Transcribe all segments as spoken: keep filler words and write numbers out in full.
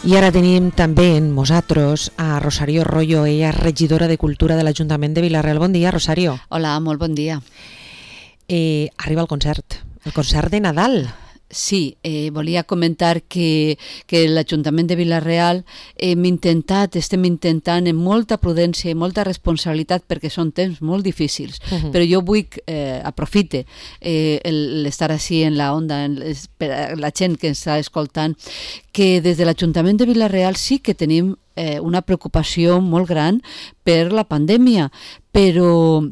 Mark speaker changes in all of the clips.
Speaker 1: I ara tenim també en nosaltres a Rosario Royo, ella és regidora de Cultura de l'Ajuntament de Vila-real. Bon dia, Rosario.
Speaker 2: Hola, molt bon dia.
Speaker 1: Eh, arriba el concert, el concert de Nadal.
Speaker 2: Sí, eh, volia comentar que, que l'Ajuntament de Vila-real hem intentat, estem intentant amb molta prudència i molta responsabilitat, perquè són temps molt difícils, uh-huh. però jo vull eh, aprofite eh, l'estar així en la onda, en les, per a la gent que ens està escoltant, que des de l'Ajuntament de Vila-real sí que tenim eh, una preocupació molt gran per la pandèmia, però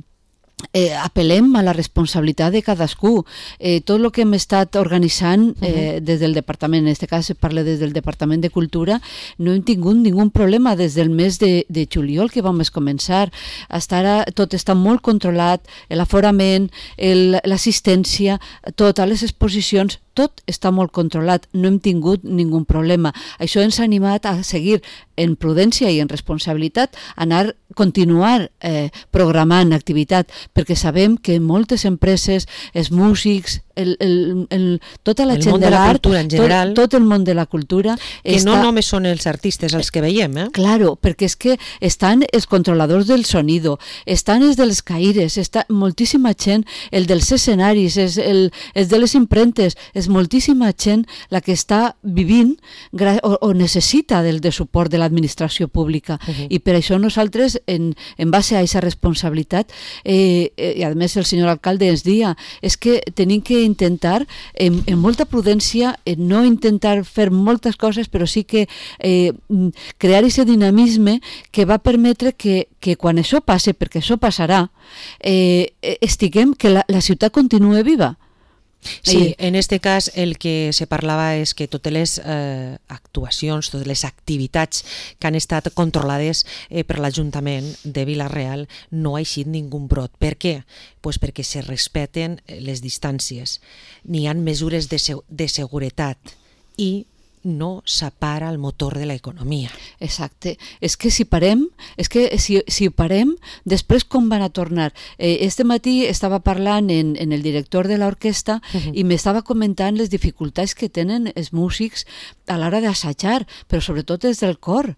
Speaker 2: Eh, apel·lem a la responsabilitat de cadascú. Eh, tot el que hem estat organitzant eh, uh-huh. des del departament, en aquest cas parla des del Departament de Cultura, no hem tingut ningun problema des del mes de, de juliol que vam començar. Hasta ara tot està molt controlat, l'aforament, l'assistència, totes les exposicions, tot està molt controlat, no hem tingut ningun problema. Això ens ha animat a seguir en prudència i en responsabilitat, anar, continuar eh, programant activitat, perquè sabem que moltes empreses, els músics, el, el, el, tota la
Speaker 1: el
Speaker 2: gent de l'art,
Speaker 1: tot,
Speaker 2: tot el món de la cultura...
Speaker 1: Que
Speaker 2: està...
Speaker 1: no només són els artistes els que veiem, eh?
Speaker 2: Claro, perquè és que estan els controladors del sonido, estan els dels caires, està moltíssima gent, el dels escenaris, és el, els de les impremtes, és moltíssima gent la que està vivint o, o necessita del de suport de l'administració pública. Uh-huh. I per això nosaltres, en, en base a aquesta responsabilitat, eh, eh, i a més el senyor alcalde ens dia, és que tenim que intentar, en, en molta prudència, en no intentar fer moltes coses, però sí que eh, crear aquest dinamisme que va permetre que, que quan això passe, perquè això passarà, eh, estiguem, que la, la ciutat continue viva.
Speaker 1: Sí, en este cas el que se parlava és que totes les eh, actuacions, totes les activitats que han estat controlades eh, per l'Ajuntament de Vila-real no ha eixit ningú brot. Per què? Pues perquè se respecten les distàncies, n'hi ha mesures de, se de seguretat i no s'apara el motor de l'economia.
Speaker 2: Exacte. És que si parem, és que si, si parem, després com van a tornar? Eh, este matí estava parlant en, en el director de l'orquestra uh-huh. i m'estava comentant les dificultats que tenen els músics a l'hora d'assajar, però sobretot des del cor,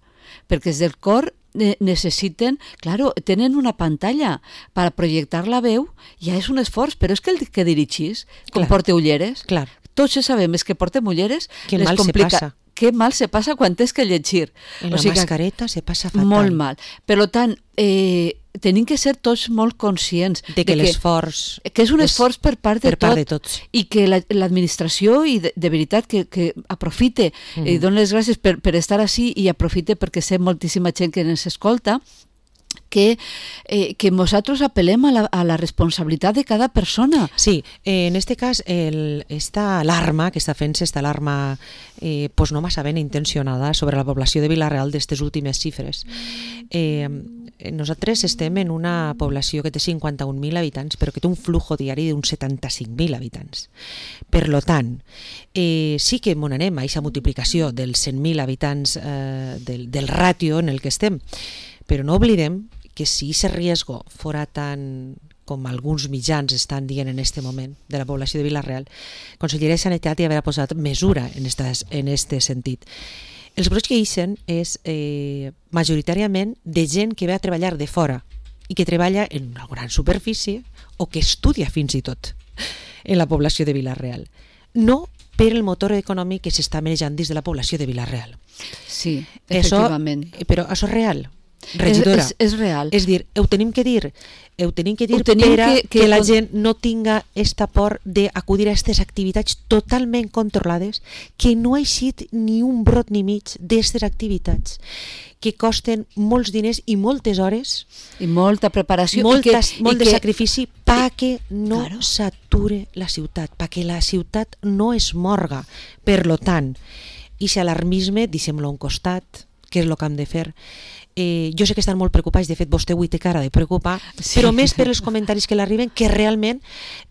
Speaker 2: perquè des del cor necessiten, claro, tenen una pantalla per projectar la veu, ja és un esforç, però és que el que dirigís, com porta ulleres,
Speaker 1: clar.
Speaker 2: Tots sabem és que portem ulleres,
Speaker 1: que mal complica... se passa.
Speaker 2: Que mal se passa quan tens que llegir.
Speaker 1: En la o sigui mascareta se passa fatal.
Speaker 2: Molt mal. Per tant, eh, tenim que ser tots molt conscients
Speaker 1: de que, que l'esforç...
Speaker 2: Que és un esforç per part de,
Speaker 1: per
Speaker 2: tot,
Speaker 1: part de tots.
Speaker 2: I que l'administració, i de, de veritat, que, que aprofite, mm-hmm. i doni les gràcies per, per estar així i aprofite perquè sé moltíssima gent que ens escolta, que, eh, que nosaltres apel·lem a la, a la responsabilitat de cada persona.
Speaker 1: Sí, eh, en este cas, el, esta alarma que està fent-se, esta alarma eh, pues no massa ben intencionada sobre la població de Vila-real d'estes últimes xifres. Eh, nosaltres estem en una població que té cinquanta-un mil habitants, però que té un flujo diari d'uns setanta-cinc mil habitants. Per lo tant, eh, sí que m'on anem a aquesta multiplicació dels cent mil habitants eh, del, del ràtio en el que estem, però no oblidem que si aquest riesgo fora tan com alguns mitjans estan dient en aquest moment de la població de Vila-real, Conselleria de Sanitat ja haurà posat mesura en aquest sentit. Els brots que ixen és eh, majoritàriament de gent que ve a treballar de fora i que treballa en una gran superfície o que estudia fins i tot en la població de Vila-real. No per el motor econòmic que s'està manejant dins de la població de Vila-real.
Speaker 2: Sí, efectivament.
Speaker 1: Això, però això és real. Regidora,
Speaker 2: és, és, és real.
Speaker 1: És dir, ho tenim que dir, ho tenim que dir
Speaker 2: ho tenim
Speaker 1: per a
Speaker 2: que, que,
Speaker 1: que la gent no tinga esta por d'acudir a aquestes activitats totalment controlades, que no ha eixit ni un brot ni mig d'aquestes activitats, que costen molts diners i moltes hores
Speaker 2: i molta preparació
Speaker 1: moltes,
Speaker 2: i que,
Speaker 1: molt
Speaker 2: i
Speaker 1: de
Speaker 2: que,
Speaker 1: sacrifici perquè no
Speaker 2: claro.
Speaker 1: s'ature la ciutat, perquè la ciutat no es morga. Per lo tant, i si alarmisme, deixem-lo a un costat, què és el que hem de fer. Eh, jo sé que estan molt preocupats, de fet vostè avui té cara de preocupar, sí. Però més per els comentaris que l'arriben que realment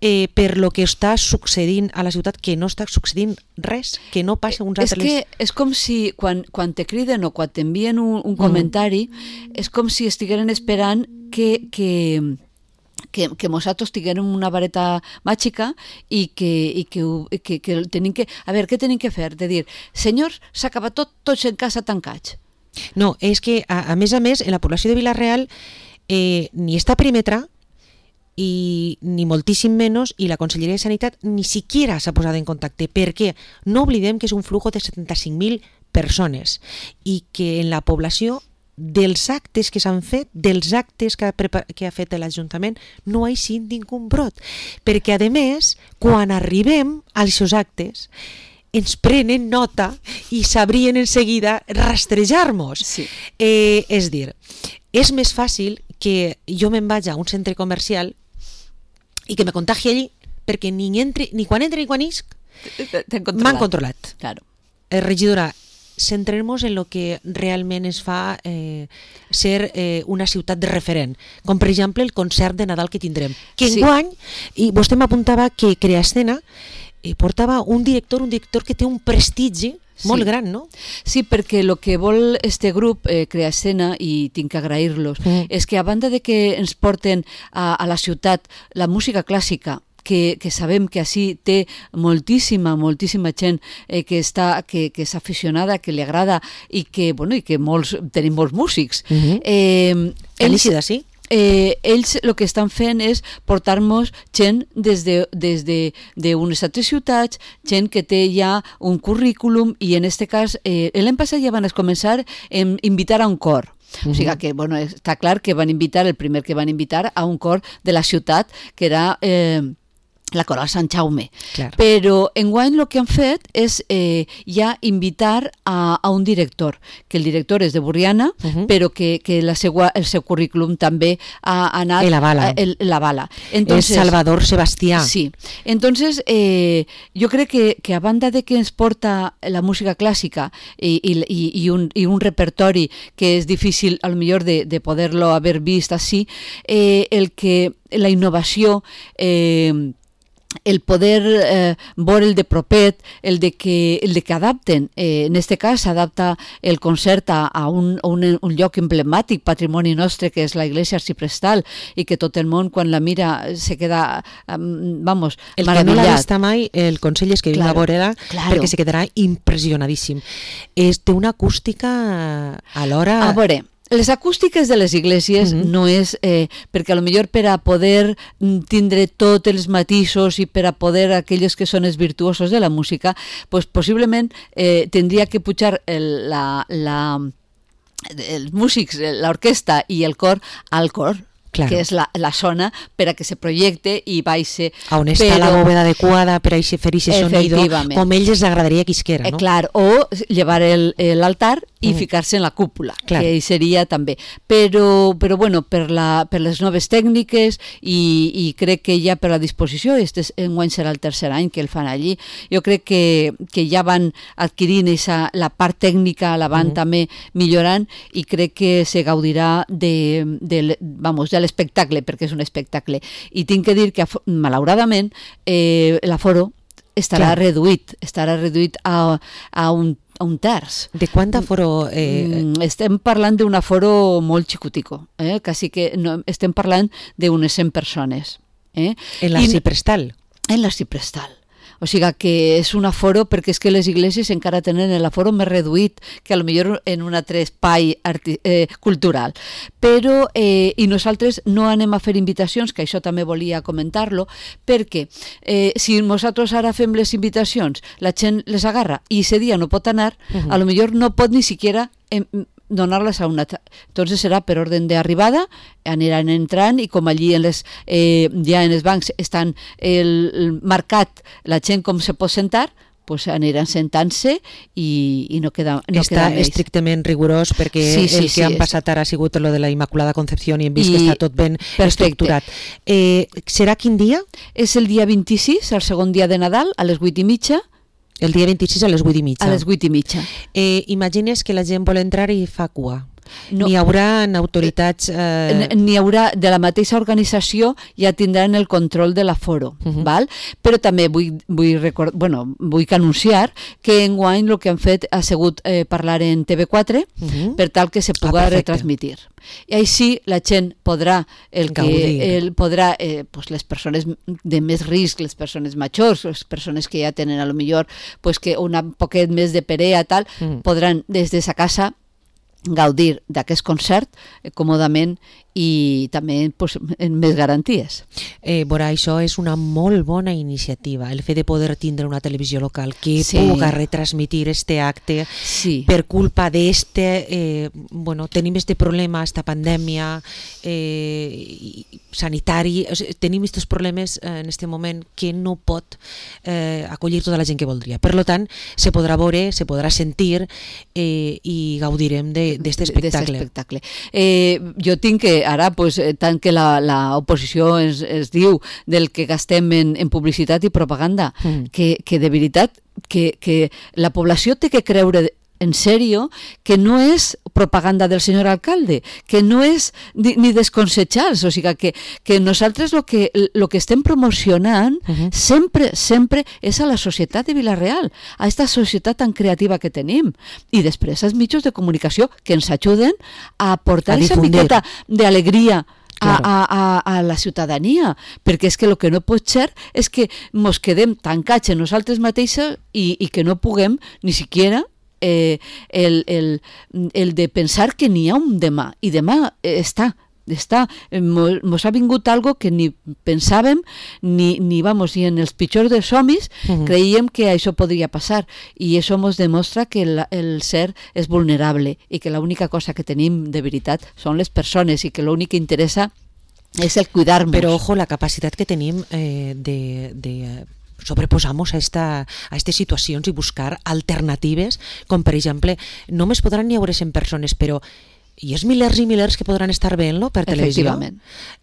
Speaker 1: eh, per lo que està succeint a la ciutat, que no està succeint res, que no passa uns altres...
Speaker 2: És que és com si quan, quan te criden o quan t'envien un, un comentari, mm. és com si estigueren esperant que, que, que, que nosaltres tinguem una vareta màgica i que, i que, que, que tenim que... A veure, què tenim que fer? De dir, senyors, s'ha acabat tot, tots en casa tancats.
Speaker 1: No, és que, a, a més a més, en la població de Vila-real eh, ni està perímetre i ni moltíssim menys, i la Conselleria de Sanitat ni siquiera s'ha posat en contacte, perquè no oblidem que és un flujo de setanta-cinc mil persones i que en la població dels actes que s'han fet, dels actes que ha, que ha fet l'Ajuntament, no hi ha sigut ningú brot. Perquè, a més, quan arribem als seus actes, ens prenen nota i sabrien en seguida rastrejar-nos.
Speaker 2: Sí.
Speaker 1: Eh, és dir, és més fàcil que jo me'n vaig a un centre comercial i que me contagi allí, perquè ni, entre, ni quan entre ni quan isc m'han controlat.
Speaker 2: Claro.
Speaker 1: Eh, regidora, centrem-nos en el que realment es fa eh, ser eh, una ciutat de referent, com per exemple el concert de Nadal que tindrem. Que
Speaker 2: Sí.
Speaker 1: enguany, i vostè m'apuntava que Creascena eh, portava un director, un director que té un prestigi molt
Speaker 2: Sí.
Speaker 1: gran, no?
Speaker 2: Sí, perquè el que vol este grup, eh, Creascena, i tinc que agrair-los,
Speaker 1: Mm.
Speaker 2: és que a banda de que ens porten a, a la ciutat la música clàssica, que, que sabem que així té moltíssima, moltíssima gent eh, que, està, que, que és aficionada, que li agrada i que, bueno, i que molts, tenim molts músics.
Speaker 1: Mhm.
Speaker 2: eh, ells,
Speaker 1: Ells, sí?
Speaker 2: eh, ells el que estan fent és portar-nos gent des de, des de, d'unes altres ciutats, gent que té ja un currículum, i en este cas, eh, l'any passat ja van començar a invitar a un cor. O sigui que, bueno, està clar que van invitar, el primer que van invitar a un cor de la ciutat, que era eh, la Coral Sant Jaume.
Speaker 1: Clar.
Speaker 2: Però enguany el que han fet és eh, ja invitar a, a un director, que el director és de Borriana,
Speaker 1: Uh-huh.
Speaker 2: però que, que la seua, el seu currículum també ha anat...
Speaker 1: El avala.
Speaker 2: El, el avala.
Speaker 1: És Salvador Sebastià.
Speaker 2: Sí. Entonces, eh, jo crec que, que a banda de que ens porta la música clàssica i, i, i, un, i un repertori que és difícil, a lo millor, de, de poder-lo haver vist així, eh, el que la innovació... Eh, el poder eh, veure el de propet, el de que, el de que adapten, eh, en este cas s'adapta el concert a, a, un, a un, un lloc emblemàtic, patrimoni nostre, que és la Iglesia Arciprestal, i que tot el món, quan la mira, se queda, um, vamos,
Speaker 1: El
Speaker 2: maravillat.
Speaker 1: que no l'ha vist mai, el consell és que vinga
Speaker 2: Claro,
Speaker 1: a veure-la,
Speaker 2: claro.
Speaker 1: perquè se quedarà impressionadíssim. És, té una acústica alhora...
Speaker 2: A veure, les acústiques de les iglesias
Speaker 1: Mhm.
Speaker 2: no és, eh, perquè a lo millor per a poder mm, tindre tots els matisos i per a poder aquells que són els virtuosos de la música, pues possiblement eh, tindria que pujar el, la, la, els músics, l'orquestra i el cor al cor.
Speaker 1: Claro.
Speaker 2: Que és la, la zona per a que se projecte i baixe.
Speaker 1: On està
Speaker 2: però,
Speaker 1: la bóveda adequada per a fer aquest sonido,
Speaker 2: Efectivament.
Speaker 1: com ells els agradaria que isquera,
Speaker 2: Eh,
Speaker 1: no?
Speaker 2: clar, o llevar el- el- l'altar i
Speaker 1: Mm.
Speaker 2: ficar-se en la cúpula,
Speaker 1: Clar.
Speaker 2: que seria també. Però, però bueno, per, la, per les noves tècniques i, i crec que ja per la disposició, este enguany serà el tercer any que el fan allí, jo crec que, que ja van adquirint esa, la part tècnica, la van
Speaker 1: Mm.
Speaker 2: també millorant, i crec que se gaudirà de, de, vamos, de l'espectacle, perquè és un espectacle. I tinc que dir que, malauradament, eh, l'aforo estarà
Speaker 1: Clar.
Speaker 2: reduït, estarà reduït a, a un a un terç.
Speaker 1: De quant aforo... Eh,
Speaker 2: Mm, estem parlant d'un aforo molt xicutico, eh? Quasi que no, estem parlant d'unes cent persones. Eh?
Speaker 1: en
Speaker 2: I-
Speaker 1: l'arciprestal?
Speaker 2: En l'arciprestal. O sigui que és un aforo, perquè és que les iglesias encara tenen l'aforo més reduït que a lo millor en un altre espai arti eh, cultural. Però, eh, i nosaltres no anem a fer invitacions, que això també volia comentar-lo, perquè eh, si nosaltres ara fem les invitacions, la gent les agarra i ese dia no pot anar,
Speaker 1: Mhm.
Speaker 2: a lo millor no pot ni siquiera em, donar-les a una... Entonces serà per ordre d'arribada, aniran entrant, i com allí en les, eh, ja en els bancs estan el, el marcat la gent com se pot sentar, pues aniran sentant-se i, i no queda, no
Speaker 1: Està
Speaker 2: queda més.
Speaker 1: estrictament rigorós, perquè
Speaker 2: Sí, sí,
Speaker 1: el que
Speaker 2: sí,
Speaker 1: han
Speaker 2: és-
Speaker 1: passat ara ha sigut lo de la Immaculada Concepción i hem vist
Speaker 2: I-
Speaker 1: que està tot ben
Speaker 2: perfecte.
Speaker 1: estructurat. Eh, serà quin dia?
Speaker 2: És el dia vint-i-sis, el segon dia de Nadal, a les vuit i mitja,
Speaker 1: El dia vint-i-sis a les vuit i mitja.
Speaker 2: a les vuit i mitja.
Speaker 1: Eh, imagines que la gent vol entrar i fa cua.
Speaker 2: No.
Speaker 1: N'hi haurà autoritats... Eh...
Speaker 2: N'hi haurà, de la mateixa organització ja tindran el control de l'aforo, uh-huh. val? Però també vull, vull, record... bueno, vull anunciar que enguany el que han fet ha sigut eh, parlar en T V quatre uh-huh. per tal que se pugui ah, retransmitir. I així la gent podrà, el que, el, podrà eh, pues les persones de més risc, les persones majors, les persones que ja tenen a lo millor pues que una poquet més de perea tal, uh-huh. podran des de sa casa gaudir d'aquest concert eh, còmodament i també pues, en més garanties.
Speaker 1: Eh, Bora, això és una molt bona iniciativa, el fet de poder tindre una televisió local que sí. puga retransmitir este acte
Speaker 2: sí.
Speaker 1: per culpa d'este, eh, bueno, tenim este problema, esta pandèmia eh, sanitari, o sigui, tenim estos problemes eh, en este moment que no pot eh, acollir tota la gent que voldria. Per lo tant, se podrà veure, se podrà sentir eh, i gaudirem d'aquest espectacle.
Speaker 2: espectacle. Eh, jo tinc que ara, pues, tant que l'oposició es, es diu del que gastem en, en publicitat i propaganda, mm. que, que de veritat que, que la població té que creure en sèrio que no és propaganda del senyor alcalde, que no és ni, ni desconsejals, o sigui que, que nosaltres el que, lo que estem promocionant uh-huh. sempre, sempre és a la societat de Vila-real, a aquesta societat tan creativa que tenim, i després als mitjans de comunicació que ens ajuden a aportar aquesta miqueta d'alegria A, a, a, a la ciutadania, perquè és que el que no pot ser és que ens quedem tancats en nosaltres mateixos i, i que no puguem ni siquiera eh, el, el, el de pensar que n'hi ha un demà, i demà eh, està, està, mos ha vingut algo que ni pensàvem ni, ni vamos, ni en els pitjors dels somnis uh-huh. creiem que això podria passar, i això mos demostra que el, el ser és vulnerable i que l'única cosa que tenim de veritat són les persones i que l'únic que interessa és el cuidar-nos.
Speaker 1: Però ojo, la capacitat que tenim eh, de... de sobreposar-nos a esta, a aquestes situacions i buscar alternatives, com per exemple, només podran n'hi haure cent persones, però i els milers i milers que podran estar veient-lo per televisió.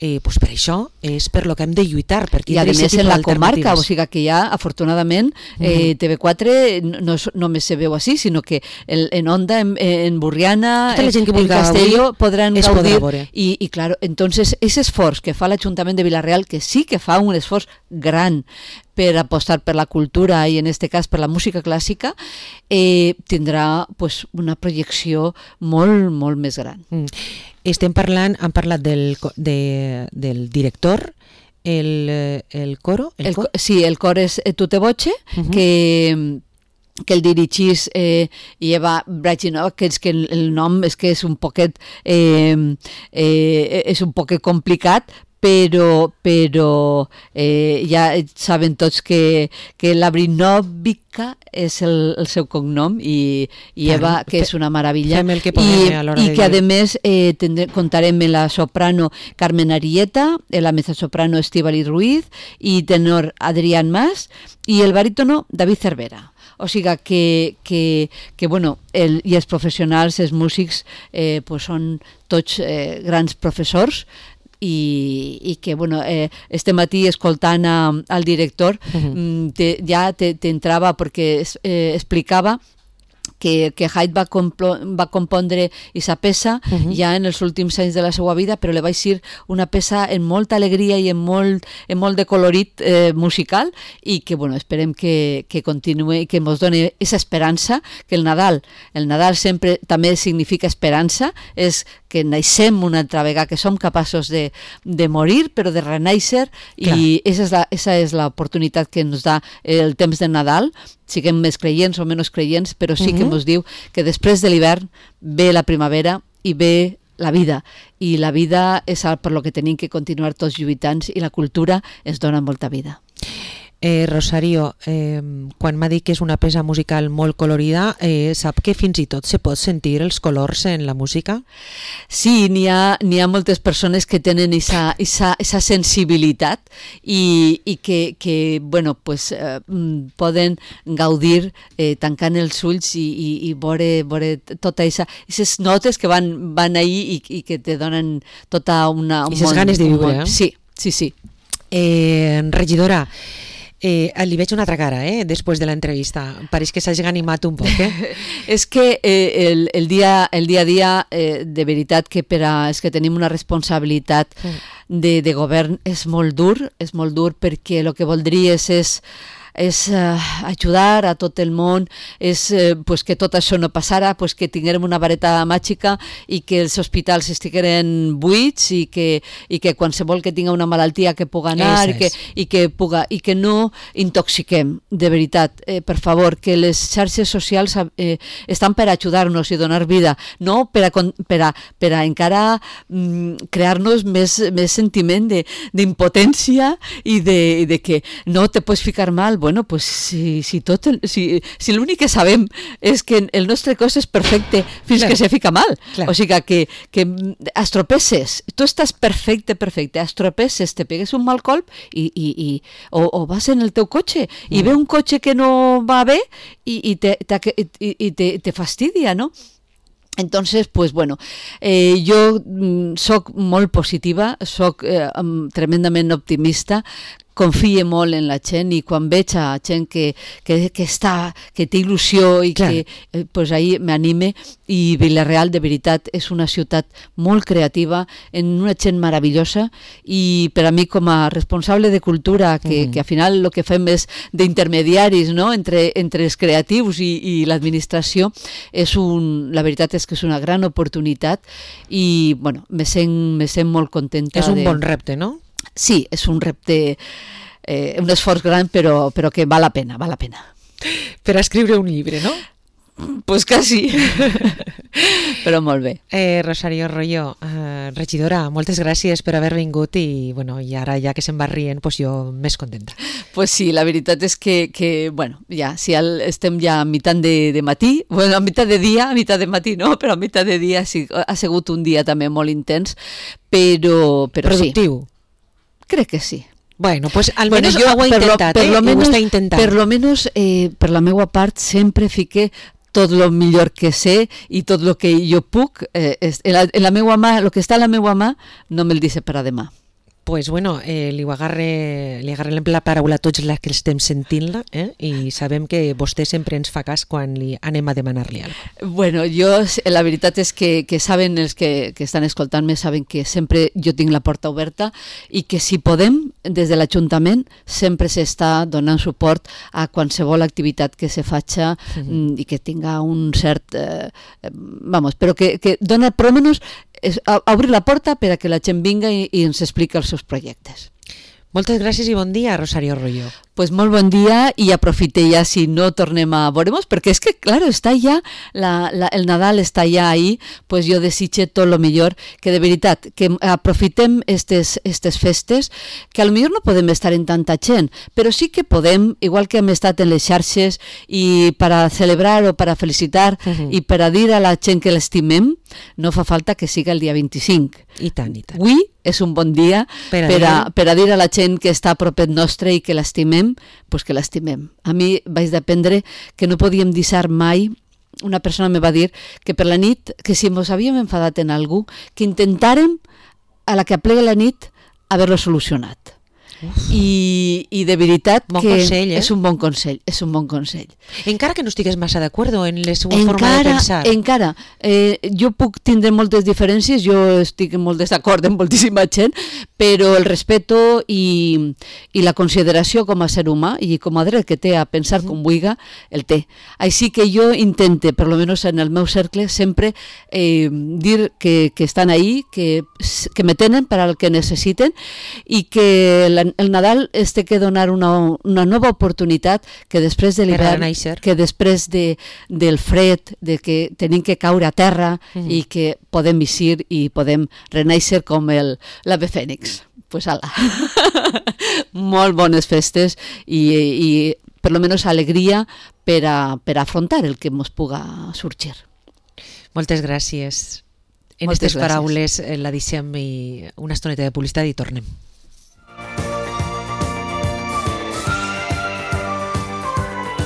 Speaker 1: Eh, pues per això és per lo que hem de lluitar. Per
Speaker 2: I a més en la comarca, o sigui que ja afortunadament eh, T V quatre no només se veu així, sinó que el, en Onda, en, en Burriana, en, en Castelló podran gaudir. I, i claro, entonces ese esforç que fa l'Ajuntament de Vila-real, que sí que fa un esforç gran per apostar per la cultura i en este cas per la música clàssica, eh, tindrà pues, una projecció molt, molt més gran.
Speaker 1: Mm. Estem parlant, han parlat del, de, del director, el, el coro?
Speaker 2: El, el cor? Sí, el cor és Tu te voce, uh-huh. que que el dirigís eh, Eva Brajinov, que és que el, el nom és que és un poquet eh, eh, és un poquet complicat, però, però eh, ja saben tots que, que la Brinovica és el, el seu cognom i, i Eva, que és una meravella,
Speaker 1: que
Speaker 2: i, i que a més eh, tindré, contarem amb la soprano Carmen Arieta, la mezzosoprano Estíbaliz Ruiz i tenor Adrián Mas i el barítono David Cervera. O sigui que, que, que bueno, el, i els professionals, els músics, eh, pues són tots eh, grans professors, i, i que bueno, eh, este matí escoltant a, al director uh-huh. te, ja t'entrava te, perquè eh, explicava que, que Haydn va, complo, va compondre aquesta peça uh-huh. ja en els últims anys de la seva vida, però li va ser una peça en molta alegria i en molt, en molt de colorit eh, musical, i que bueno, esperem que, que continuï i que ens doni aquesta esperança, que el Nadal, el Nadal sempre també significa esperança, és que naixem una altra vegada, que som capaços de, de morir, però de renaixer, i aquesta és l'oportunitat que ens da el temps de Nadal, siguem més creients o menys creients, però sí que ens diu que després de l'hivern ve la primavera i ve la vida, i la vida és per lo que tenim que continuar tots lluitant, i la cultura ens dona molta vida.
Speaker 1: Eh, Rosario, eh, quan m'ha dit que és una peça musical molt colorida, eh, sap que fins i tot se pot sentir els colors en la música?
Speaker 2: Sí, n'hi ha, n'hi ha moltes persones que tenen aquesta sensibilitat i, i que, que bueno, pues, eh, poden gaudir eh, tancant els ulls i, i, i veure, veure tota aquestes notes que van, van ahí i, i que te donen tota una...
Speaker 1: I aquestes ganes de viure, eh?
Speaker 2: Sí, sí, sí.
Speaker 1: Eh, regidora, Eh, li veig una altra cara, eh, després de l'entrevista. Pareix que s'hagi animat un poc, eh?
Speaker 2: És que eh, el, el, dia, el dia a dia, eh, de veritat que per a, és que tenim una responsabilitat de, de govern, és molt dur, és molt dur perquè el que voldries és és uh, ajudar a tot el món, és uh, pues que tot això no passara, pues que tinguérem una vareta màgica i que els hospitals estigueren buits i que, i que qualsevol que tinga una malaltia que puga anar i que, i, que puga, i que no intoxiquem, de veritat, eh, per favor, que les xarxes socials eh, estan per ajudar-nos i donar vida, no per a, per a, per a encara mm, crear-nos més, més sentiment d'impotència i de, de que no te pots ficar mal. Bueno, pues si, si, tot el, si, si l'únic que sabem és que el nostre cos és perfecte fins clar, que se fica mal. Clar. O sigui que, que estropeces, tu estàs perfecte, perfecte, estropeces, te pegues un mal colp i, i, i, o, o vas en el teu cotxe i mm. ve un cotxe que no va bé i, i, te, te, i, i te, te fastidia, no? Entonces, pues bueno, eh, jo mm, soc molt positiva, soc eh, tremendament optimista, confie molt en la gent i quan veig a gent que, que, que, està, que té il·lusió i clar, que eh, pues ahí m'anime. I Vila-real de veritat és una ciutat molt creativa, en una gent meravellosa i per a mi com a responsable de cultura, que, mm. que al final el que fem és d'intermediaris, no? entre, entre els creatius i, i l'administració, és un, la veritat és que és una gran oportunitat i bueno, me sent, me sent molt contenta.
Speaker 1: És un
Speaker 2: de...
Speaker 1: bon repte, no?
Speaker 2: Sí, és un repte, eh, un esforç gran, però, però que val la pena, val la pena.
Speaker 1: Per a escriure un llibre, no?
Speaker 2: Pues quasi, però molt bé.
Speaker 1: Eh, Rosario Royo, eh, regidora, moltes gràcies per haver vingut i, bueno, i ara ja que se'n va rient, pues jo més contenta.
Speaker 2: Pues sí, la veritat és que, que bueno, ja, si el, estem ja a meitat de, de matí, bueno, a meitat de dia, a meitat de matí no, però a meitat de dia sí, ha sigut un dia també molt intens, però, però
Speaker 1: productiu.
Speaker 2: Sí. Crec que sí.
Speaker 1: Bueno, pues
Speaker 2: bueno,
Speaker 1: almenys
Speaker 2: jo,
Speaker 1: ho he intentat,
Speaker 2: per lo, per
Speaker 1: eh?
Speaker 2: lo menos,
Speaker 1: ho està intentant.
Speaker 2: Per lo menos, eh, per la meva part, sempre fiqué tot el millor que sé i tot el que jo puc. Eh, en, la, en la meva mà, el que està a la meva mà, no me'l dice per a demà.
Speaker 1: Pues bueno, eh, li agarre, li agarrem la paraula a tots els que estem sentint-la, eh? I sabem que vostè sempre ens fa cas quan li anem a demanar-li alguna cosa.
Speaker 2: Bueno, jo, la veritat és que, que saben els que, que estan escoltant-me, saben que sempre jo tinc la porta oberta i que si podem, des de l'Ajuntament, sempre s'està donant suport a qualsevol activitat que se faci mm-hmm. i que tinga un cert... Eh, vamos, però que, que dona, per almenys, és a, a obrir la porta per a que la gent vinga i, i ens expliqui els seus projectes.
Speaker 1: Moltes gràcies i bon dia, Rosario Royo.
Speaker 2: Pues molt bon dia i aprofite ja si no tornem a veure-nos, perquè és que, claro, està ja, la, la, el Nadal està ja ahí, pues jo desitge tot lo millor, que de veritat, que aprofitem estes, estes festes, que a lo millor no podem estar en tanta gent, però sí que podem, igual que hem estat en les xarxes, i per a celebrar o per a felicitar uh-huh. i per a dir a la gent que l'estimem, no fa falta que siga el dia vint-i-cinc.
Speaker 1: I tant, i tant.
Speaker 2: Avui és un bon dia per a, per a, per a dir a la gent que està a propet nostre i que l'estimem, pues que l'estimem. A mi vaig d'aprendre que no podíem deixar mai, una persona me va dir que per la nit, que si ens havíem enfadat en algú, que intentàrem a la que aplega la nit haver-lo solucionat. I, i de veritat
Speaker 1: bon
Speaker 2: que
Speaker 1: consell, eh?
Speaker 2: és un bon consell, és un bon consell.
Speaker 1: Encara que no estigues massa d'acord en la seva
Speaker 2: encara,
Speaker 1: forma de pensar.
Speaker 2: Encara, eh, jo puc tindre moltes diferències, jo estic en molt desacord amb moltíssima gent, però el respeto i, i la consideració com a ser humà i com a dret que té a pensar com vulga, el té. Així que jo intente, per lo menos en el meu cercle, sempre eh, dir que, que estan ahí, que, que me tenen per al que necessiten i que la el Nadal es té que donar una, una nova oportunitat que després de l'hivern, que després de, del fred, de que tenim que caure a terra mm. i que podem eixir i podem renaixer com el, l'ave fènix. Pues ala. Molt bones festes i, i per lo menos alegria per a, per a afrontar el que ens puga sorgir.
Speaker 1: Moltes gràcies. En aquestes paraules la deixem una estoneta de publicitat i tornem.